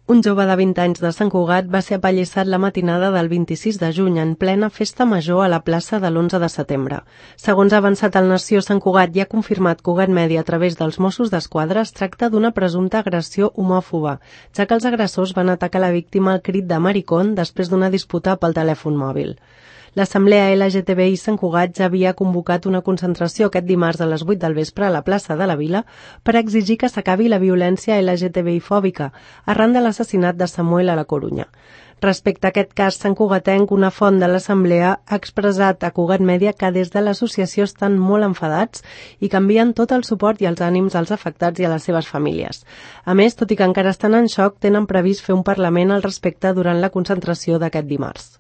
Un jove de 20 anys de Sant Cugat va ser apallissat la matinada del 26 de juny en plena festa major a la plaça de l'11 de setembre. Segons ha avançat el Nació, Sant Cugat i ha confirmat Cugat Mèdia a través dels Mossos d'Esquadra, es tracta d'una presumpta agressió homòfoba, ja que els agressors van atacar la víctima al crit de maricón després d'una disputa pel telèfon mòbil. L'Assemblea LGTBI Sant Cugat ja havia convocat una concentració aquest dimarts a les 8 del vespre a la plaça de la Vila per exigir que s'acabi la violència LGTBI-fòbica arran de l'assassinat de Samuel a la Corunya. Respecte a aquest cas santcugatenc, una font de l'Assemblea ha expressat a Cugat Mèdia que des de l'associació estan molt enfadats i que envien tot el suport i els ànims als afectats i a les seves famílies. A més, tot i que encara estan en xoc, tenen previst fer un parlament al respecte durant la concentració d'aquest dimarts.